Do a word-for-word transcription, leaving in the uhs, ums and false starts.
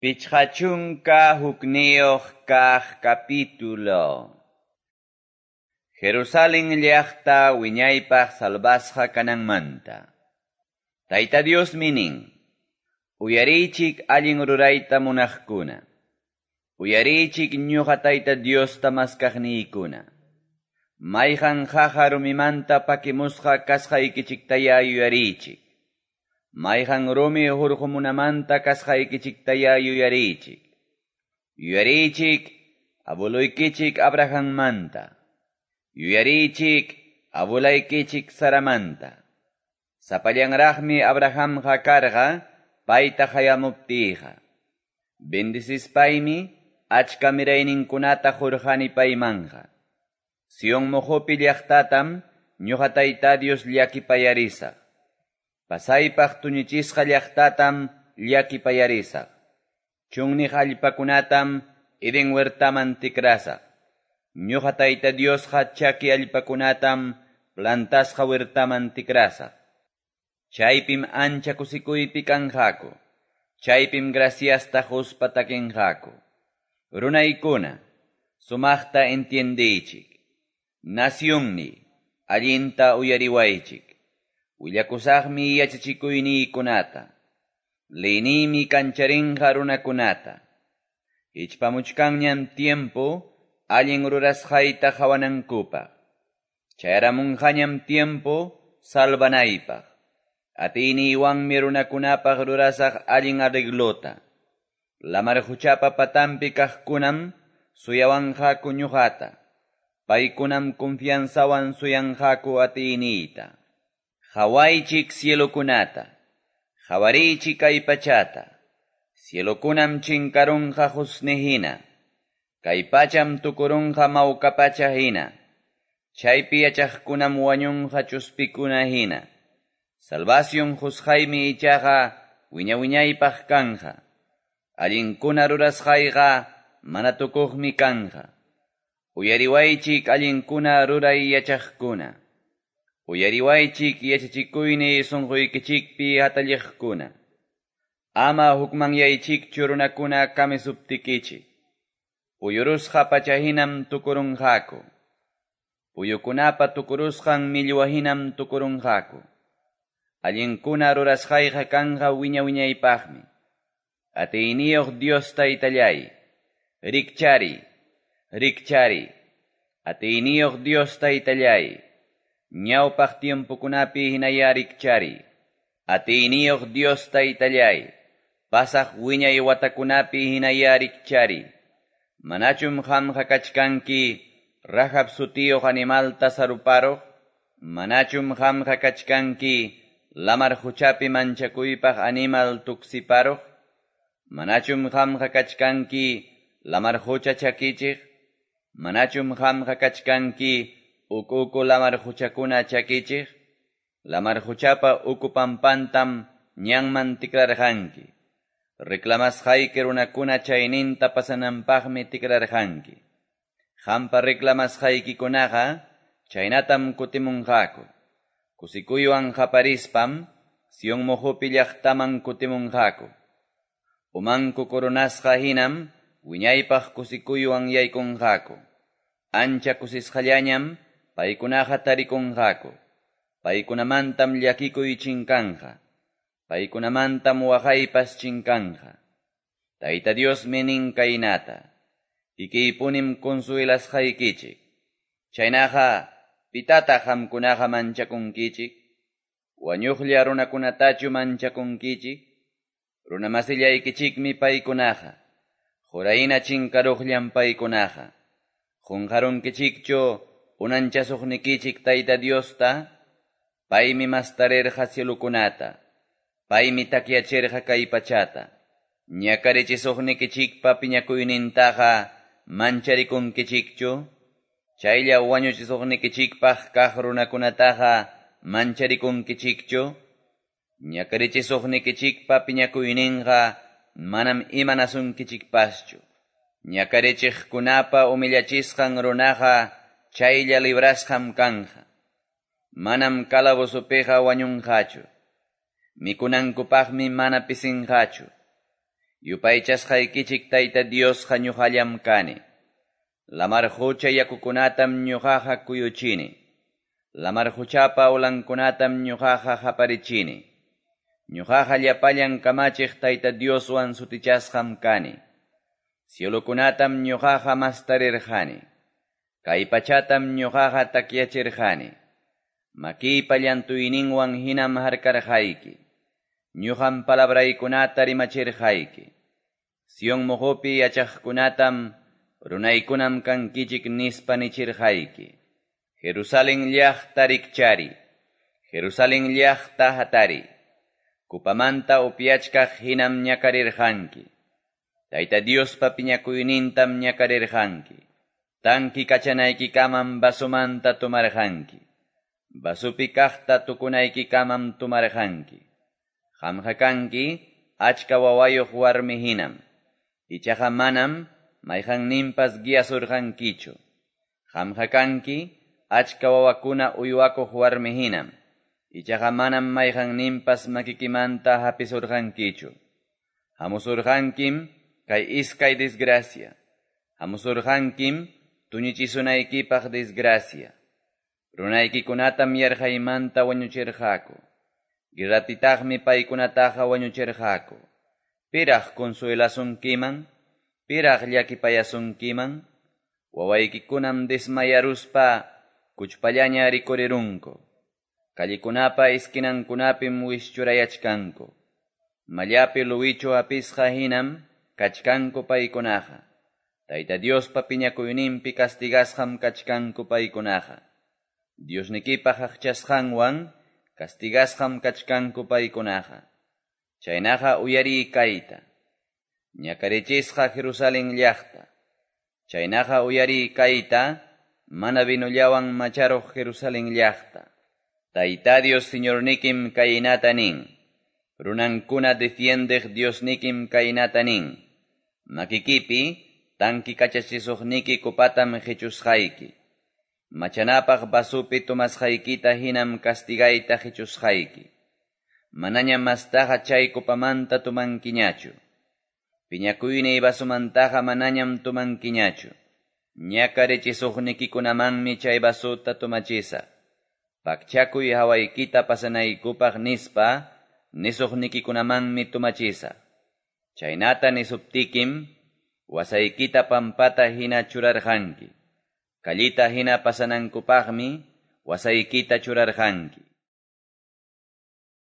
Pichqa chunka hukniyuq kaq capítulo. Jerusalén llaqta wiñaypaq salvasqa kananmanta. Tayta Diosmi nin, uyariychik allin rurayta munaqkuna. Uyariychik ñuqa Tayta Diosta maskaqniykuna. Mayqan qaqa rumimanta pakimusqa kasqaykichiktaya yuyariychik. Mayqan rumi hurqumunamanta kasqaykichiktaya yuyariychik. Yuyariychik abueluykichik Abrahammanta. Yuyariychik abuelaykichik Saramanta. Sapallanraqmi Abrahamqa karqa payta qayamuptiyqa. Bendicispaymi achka mirayninkunata qurqani paymanqa. Sion muqupi llaqtatam ñuqa Tayta Dios llakipayarisaq. Pasaypaq tuñichisqa llaqtatam llakipayarisaq. Chunniq allpakunatam Edén huertaman tikrasaq. Ñuqa Tayta Diosqa chaki allpakunatam plantasqa huertaman tikrasaq. Chaypim ancha kusikuypi kanqaku. Chaypim graciasta quspa takinqaku. Runaykuna, sumaqta entiendiychik. Nacionni, allinta uyariwaychik. Willakusaqmi yachachikuyniykunata. Leyniymi kancharinqa runakunata. Hichpamuchkanñam tiempo allin rurasqayta qawanankupaq. Chayaramunqañam tiempo salvanaypaq. Atiyniywanmi runakunapaq rurasaq allin arreglota. Lamar quchapa patanpi kaqkunam suyawanqaku ñuqata. Paykunam confianzawan suyanqaku atiyniyta. Qawaychik cielokunata, qawariychik kay pachata. Cielokunam chinkarunqa qusni hina, kay pacham tukurunqa mawka pacha hina. Chaypi yachaqkunam wañunqa chuspikuna hina. Salvación qusqaymi ichaqa wiña-wiñaypaq kanqa. Allinkuna rurasqayqa mana tukuqmi kanqa. Uyariwaychik allinkuna ruray yachaqkuna. Uyariwaychik yachachikuyni sunquykichikpi hatalliqkuna. Ama hukmanyaychikchu runakuna kamisuptikichik. Puyurusqa pachahinam tukurunqaku. Puyukunapa tukurusqan millwahinam tukurunqaku. Allinkuna rurasqayqa kanqa wiña-wiñaypaqmi. Atiyniyuq Dios Taytallay, rikchari, rikchari. Atiyniyuq Dios Taytallay, ñawpaq tiempokunapi hinaya rikchari. Atiyniyuq Dios Taytallay, pasaq wiñay watakunapi hinaya rikchari. Manachum qamqa kachkanki Rahab sutiyuq animalta saruparuq? Manachum qamqa kachkanki lamar quchapi manchakuypaq animal tuksiparuq? Manachum qamqa kachkanki lamar qucha chakichiq? Manachum qamqa kachkanki uku uku lamar quchakuna chakichiq? Lamar quchapa uku pampantam ñanman tikrarqanki. Reclamasqayki runakuna chayninta pasananpaqmi tikrarqanki. Qampa reclamasqaykikunaqa chaynatam kutimunqaku. Kusikuywan qaparispam Sion muqupi llaqtaman kutimunqaku. Umanku coronasqa hinam wiñaypaq kusikuywan yaykunqaku. Ancha kusisqallañam paykunaqa tarikunqaku. Paykunamantam llakikuy chinkanqa. Paykunamantam waqaypas chinkanqa. Tayta Diosmi nin kaynata. Kikiypunim consuelasqaykichik. Chaynaqa pitataq qamkunaqa manchakunkichik? Wañuqlla runakunatachu manchakunkichik? Runamasillaykichikmi paykunaqa. Qurayna chinkaruqllam paykunaqa. Qunqarunkichikchu unanchasuqnikichik Tayta Diosta? Paymi mastarirqa cielokunata. Paymi takyachirqa kay pachata. Ñakarichisuqnikichikpa piñakuynintaqa mancharikunkichikchu? Chaylla wañuchisuqnikichikpaq kaq runakunataqa mancharikunkichikchu? Ñakarichisuqnikichikpa piñakuyninqa manam imanasunkichikpaschu. Ñakarichiqkunapa humillachisqan runaqa chaylla librasqam kanqa. Manam calabozopiqa wañunqachu. Mikunankupaqmi mana pisinqachu. Yupaychasqaykichik Tayta Diosqa ñoqallam kani. Lamar qocha yakukunatam ñoqaqa kuyuchini. Lamar qochapa olankunatam ñoqaqa qaparichini. Ñoqaqa llapallan kamachiq Tayta Dioswan sutichasqam kani. Cielokunatam ñoqaqa mastarirqani. Kay pachatam ñoqaqa takyachirqani. Makiypa llantuyninwan hinam harkarqayki. Ñuqam palabraykunata rimachirqayki. Sion moqopi yachaqkunatam runaykunam kankichik nispa nichirqayki. Jerusalén llaqta rikchari. Jerusalén llaqta hatari. Kupamanta upyachkaq hinam ñakarirqanki. Tayta Diospa piñakuynintam ñakarirqanki. Tanki kachanaykikamam vasomanta tomarqanki. Vasupi kaqta tukunaykikamam tomarqanki. Qamqa kanki achka wawayuq warmi hinam. Ichaqa manam mayqanninpas guiasurqankichu. Qamqa kanki achka wawakuna uywakuq warmi hinam. Ichaqa manam mayqanninpas makikimanta hapisurqankichu. Hamusurqankim kay iskay desgracia. Hamusurqankim tuñichisunaykipaq desgracia. Runaykikunatam yarqaymanta wañuchirqaku. Guerrapitaqmi paykunataqa wañuchirqaku. Piraq consuelasunkiman, piraq llakipayasunkiman, wawaykikunam desmayaruspa kuchpallaña rikurirunku. Callikunapa esquinankunapim wischurayachkanku. Mallapi luwichu hapisqa hinam kachkanku paykunaqa. Tayta Diospa piñakuyninpi castigasqam kachkanku paykunaqa. Diosnikipa aqchasqanwan castigasqam kachkanku paykunaqa. Chaynaqa uyariy kayta. Ñakarichisqa Jerusalén llaqta. Chaynaqa uyariy kayta, mana vinollawan macharuq Jerusalén llaqta. Tayta Dios Señornikim kaynata nin. Runankuna defiendeq Diosnikim kaynata nin. Makikipi tanki kachachisuqniki kupatam qichusqayki. Machanapaq vasupi tomasqaykita hinam castigayta qichusqayki. Manaña mastaqa chay kupamanta tumankiñachu. Piñakuyniy vasumantaqa manañam tumankiñachu. Ñakarichisuqnikikunamanmi chay vasuta tumachisaq. Pakchakuy hawaykita pasanaykupaq nispa nisuqnikikunamanmi tumachisaq. Chaynata nisuptikim wasaykita pampata hina churarqanki. Kallita hina pasanankupaqmi wasaykita churarqanki.